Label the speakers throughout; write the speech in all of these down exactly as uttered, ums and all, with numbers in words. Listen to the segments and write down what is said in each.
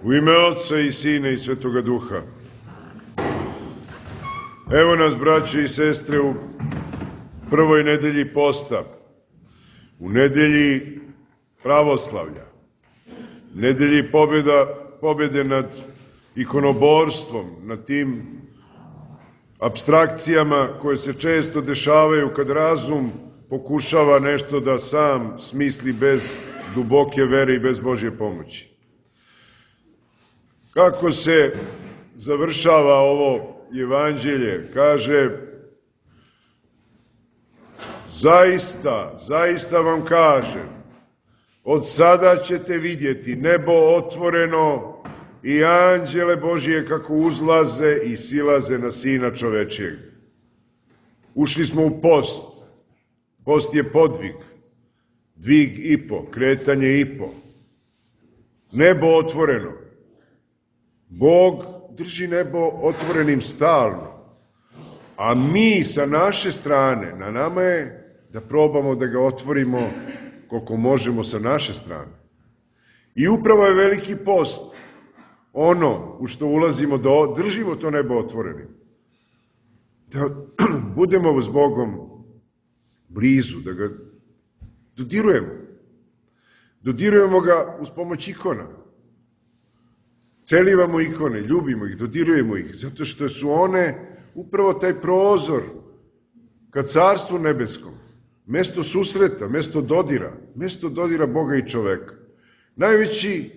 Speaker 1: U ime Otca i Sina i Svetoga Duha. Evo nas, braće i sestre, u prvoj nedelji posta, u nedelji pravoslavlja, nedelji pobjeda, pobjede nad ikonoborstvom, nad tim apstrakcijama koje se često dešavaju kad razum pokušava nešto da sam smisli bez duboke vere i bez Božje pomoći. Kako se završava ovo evanđelje? Kaže, zaista, zaista vam kažem, od sada ćete vidjeti nebo otvoreno i anđele Božije kako uzlaze i silaze na Sina čovečijeg. Ušli smo u post. Post je podvig, dvig i po, kretanje i po. Nebo otvoreno. Bog drži nebo otvorenim stalno, a mi sa naše strane, na nama je da probamo da ga otvorimo koliko možemo sa naše strane. I upravo je veliki post ono u što ulazimo, da držimo to nebo otvorenim. Da budemo s Bogom blizu, da ga dodirujemo. Dodirujemo ga uz pomoć ikona. Celivamo ikone, ljubimo ih, dodirujemo ih, zato što su one upravo taj prozor ka Carstvu nebeskom, mesto susreta, mesto dodira, mesto dodira Boga i čoveka. Najveći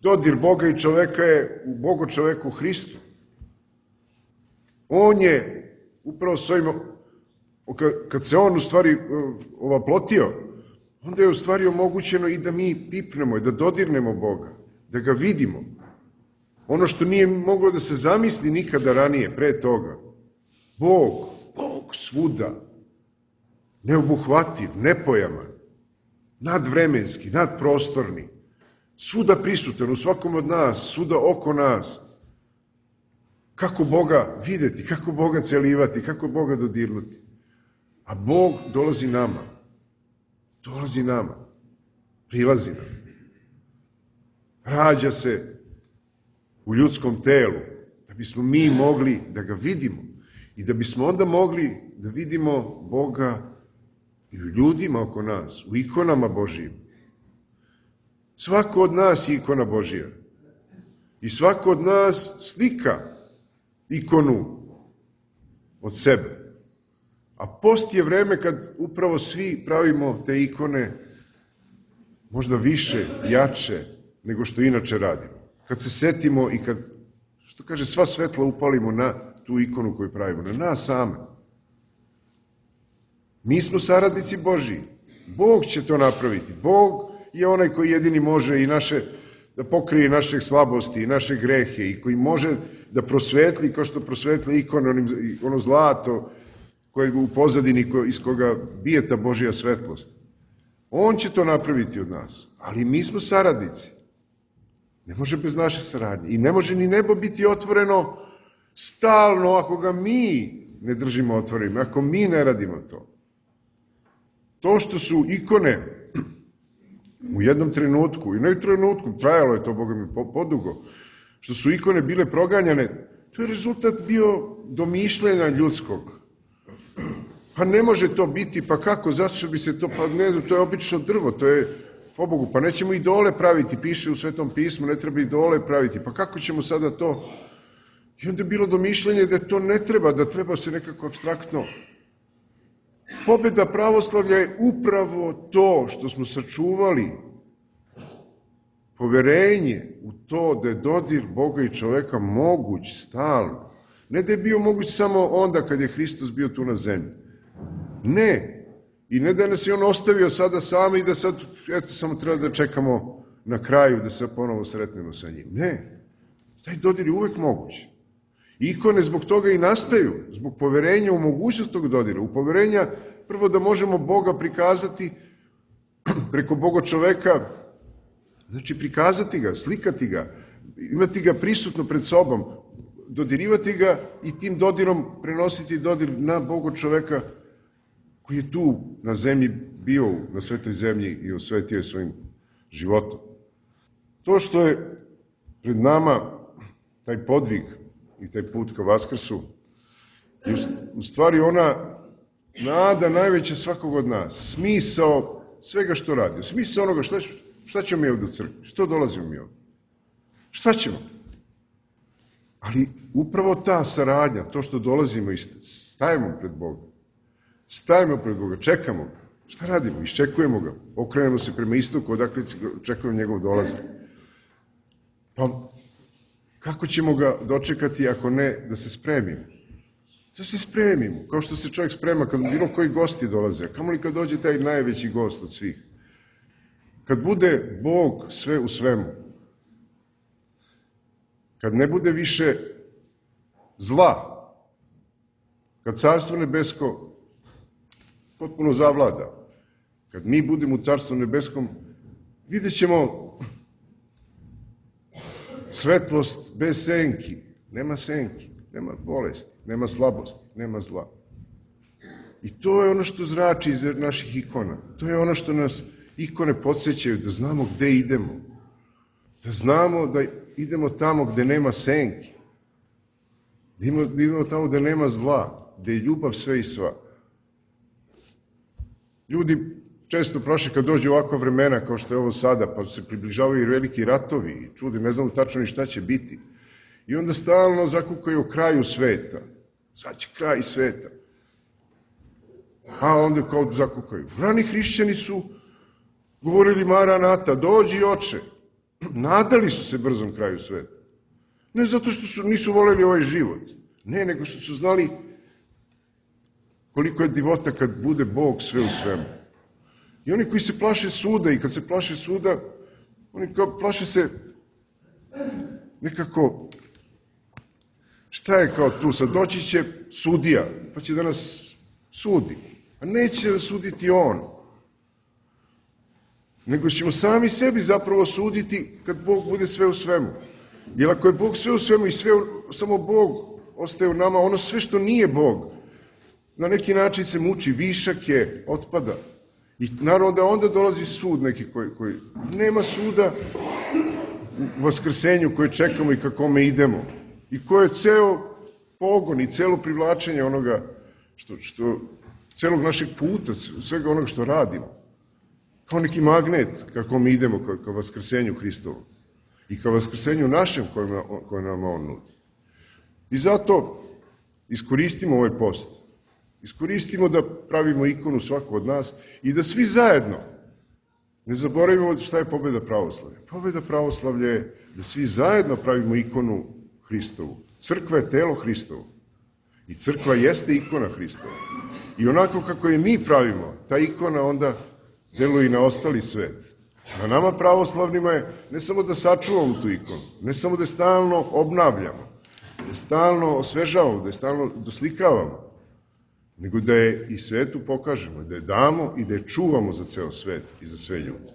Speaker 1: dodir Boga i čoveka je u Bogu čoveku Hristu. On je upravo s ovim, kad se on u stvari ovaplotio, onda je u stvari omogućeno i da mi pipnemo, da dodirnemo Boga, da ga vidimo. Ono što nije moglo da se zamisli nikada ranije, pre toga. Bog, Bog svuda, neobuhvativ, nepojaman, nadvremenski, nadprostorni, svuda prisutan, u svakom od nas, svuda oko nas. Kako Boga videti, kako Boga celivati, kako Boga dodirnuti. A Bog dolazi nama, dolazi nama, prilazi nam. Rađa se u ljudskom telu, da bismo mi mogli da ga vidimo i da bismo onda mogli da vidimo Boga i u ljudima oko nas, u ikonama Božijim. Svako od nas je ikona Božija i svako od nas slika ikonu od sebe. A post je vreme kad upravo svi pravimo te ikone možda više, jače nego što inače radimo. Kad se setimo i kad, što kaže, sva svetla upalimo na tu ikonu koju pravimo, na nas same. Mi smo saradnici Božiji. Bog će to napraviti. Bog je onaj koji jedini može i naše, da pokrije naše slabosti i naše grehe i koji može da prosvetli, kao što prosvetli ikone, ono zlato koje u pozadini iz koga bije ta Božja svetlost. On će to napraviti od nas, ali mi smo saradnici. Ne može bez naše saradnje. I ne može ni nebo biti otvoreno stalno ako ga mi ne držimo otvorenim, ako mi ne radimo to. To što su ikone u jednom trenutku, i ne u trenutku, trajalo je to, Boga mi, podugo, što su ikone bile proganjane, to je rezultat bio domišljanja ljudskog. Pa ne može to biti, pa kako, zato što bi se to, pa ne, to je obično drvo, to je, pobogu, pa nećemo idole praviti, piše u Svetom pismu, ne treba idole praviti, pa kako ćemo sada to? I onda je bilo domišljanje da to ne treba, da treba se nekako apstraktno. Pobjeda pravoslavlja je upravo to što smo sačuvali poverenje u to da je dodir Boga i čoveka moguć stalno. Ne da je bio moguć samo onda kad je Hristos bio tu na zemlji. Ne. I ne da nas je on ostavio sada sami i da sad, eto, samo treba da čekamo na kraju da se ponovo sretnemo sa njim. Ne. Taj dodir je uvek moguć. Ikone zbog toga i nastaju, zbog poverenja u mogućnost tog dodira. U poverenja prvo da možemo Boga prikazati preko Boga čoveka, znači prikazati ga, slikati ga, imati ga prisutno pred sobom, dodirivati ga i tim dodirom prenositi dodir na Boga čoveka koji je tu na zemlji bio, na svetoj zemlji i osvetio je svojim životom. To što je pred nama taj podvig i taj put ka Vaskrsu je u stvari ona nada najveća svakog od nas, smisao svega što radi, smisao onoga šta, šta ćemo mi ovdje u crkvi, što dolazimo mi ovdje, šta ćemo? Ali upravo ta saradnja, to što dolazimo i stajemo pred Boga, stajemo pred Boga, čekamo ga, šta radimo? Iščekujemo ga, okrenemo se prema istoku, odakle čekujemo njegov dolazak. Pa kako ćemo ga dočekati ako ne da se spremimo? Da se spremimo, kao što se čovjek sprema kad bilo koji gosti dolaze, kamo li kad dođe taj najveći gost od svih? Kad bude Bog sve u svemu, kad ne bude više zla, kad Carstvo nebesko potpuno zavlada, kad mi budemo u Carstvu nebeskom, vidjet ćemo svetlost bez senki, nema senki, nema bolesti, nema slabosti, nema zla. I to je ono što zrači iz naših ikona. To je ono što nas ikone podsjećaju, da znamo gde idemo. Da znamo da idemo tamo gde nema senki. Da idemo tamo gde nema zla, gde je ljubav sve i sva. Ljudi često prošle kad dođe ovakva vremena kao što je ovo sada, pa se približavaju i veliki ratovi i čudi, ne znamo tačno ni šta će biti. I onda stalno zakukaju o kraju sveta. Sad će kraj sveta. A onda kao zakukaju. Rani hrišćani su govorili Maranata, dođi oče. Nadali su se brzom kraju sveta. Ne zato što su, nisu voljeli ovaj život. Ne, nego što su znali koliko je divota kad bude Bog sve u svemu. I oni koji se plaše suda i kad se plaše suda, oni kao plaše se nekako, šta je kao tu, sad doći će sudija, pa će da nas sudi. A neće da suditi on. Nego ćemo sami sebi zapravo suditi kad Bog bude sve u svemu. Jer ako je Bog sve u svemu i sve, samo Bog ostaje u nama, ono sve što nije Bog, na neki način se muči, višak je, otpada. I naravno da onda dolazi sud neki koji, koji nema suda u vaskrsenju koje čekamo i ka kome idemo. I koje je ceo pogon i celo privlačenje onoga što, što celog našeg puta, svega onoga što radimo. Kao neki magnet kako mi idemo ka, ka vaskrsenju Hristovu. I ka vaskrsenju našem koje, koje nam on nudi. I zato iskoristimo ovaj post. Iskoristimo da pravimo ikonu svako od nas i da svi zajedno ne zaboravimo šta je pobjeda pravoslavlja. Pobjeda pravoslavlja je da svi zajedno pravimo ikonu Hristovu. Crkva je telo Hristovo. I crkva jeste ikona Hristova. I onako kako je mi pravimo, ta ikona onda deluje i na ostali svet. Na nama pravoslavnima je ne samo da sačuvamo tu ikonu, ne samo da je stalno obnavljamo, da je stalno osvežavamo, da je stalno doslikavamo, nego da je i svetu pokažemo, da je damo i da je čuvamo za ceo svet i za sve ljude.